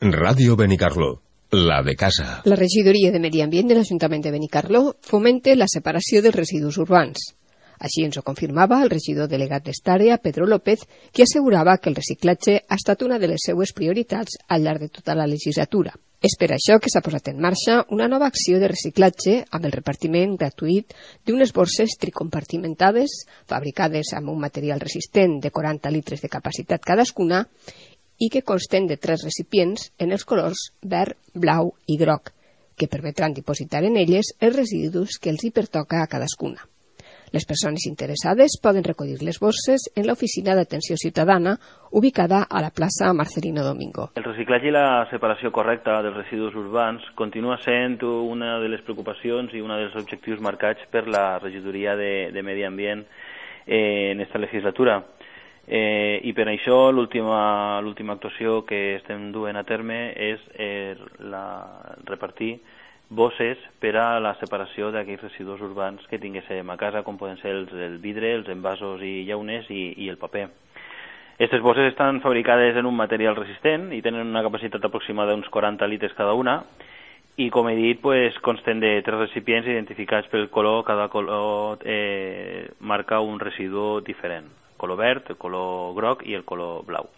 Ràdio Benicarló, la de casa. La regidoria de Medi Ambient de l'Ajuntament de Benicarló fomenta la separació dels residus urbans. Així ens ho confirmava el regidor delegat d'esta Pedro López, qui assegurava que el reciclatge ha estat una de les seues prioritats al llarg de tota la legislatura. És per això que s'ha posat en marxa una nova acció de reciclatge amb el repartiment gratuït d'unes borses tricompartimentades fabricades amb un material resistent de 40 litres de capacitat cadascuna i que consten de 3 recipients en els colors verd, blau i groc, que permetran dipositar en elles els residus que els hi pertoca a cadascuna. Les persones interessades poden recollir les borses en l'oficina d'atenció ciutadana ubicada a la plaça Marcelino Domingo. El reciclatge i la separació correcta dels residus urbans continua sent una de les preocupacions i un dels objectius marcats per la regidoria de Medi Ambient en esta legislatura. I per això l'última actuació que estem duent a terme és repartir bosses per a la separació d'aquells residus urbans que tinguéssim a casa, com poden ser el vidre, els envasos i llaunes i el paper. Aquestes bosses estan fabricades en un material resistent i tenen una capacitat aproximada d'uns 40 litres cada una i, com he dit, consten de 3 recipients identificats pel color. Cada color marca un residu diferent: el color verd, el color groc i el color blau.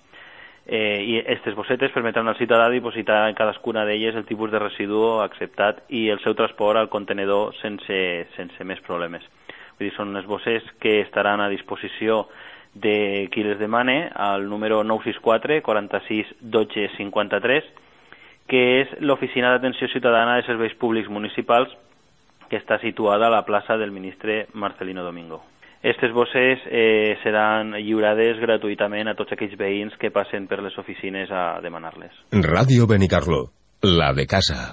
I aquestes bossetes permetran al ciutadà dipositar en cadascuna d'elles el tipus de residu acceptat i el seu transport al contenedor sense més problemes. Vull dir, són unes bosses que estaran a disposició de qui les demane al número 964 46 12 53, que és l'Oficina d'Atenció Ciutadana de Serveis Públics Municipals, que està situada a la plaça del ministre Marcelino Domingo. Aquestes bosses seran lliurades gratuïtament a tots aquells veïns que passen per les oficines a demanar-les. Ràdio Benicarló, la de casa.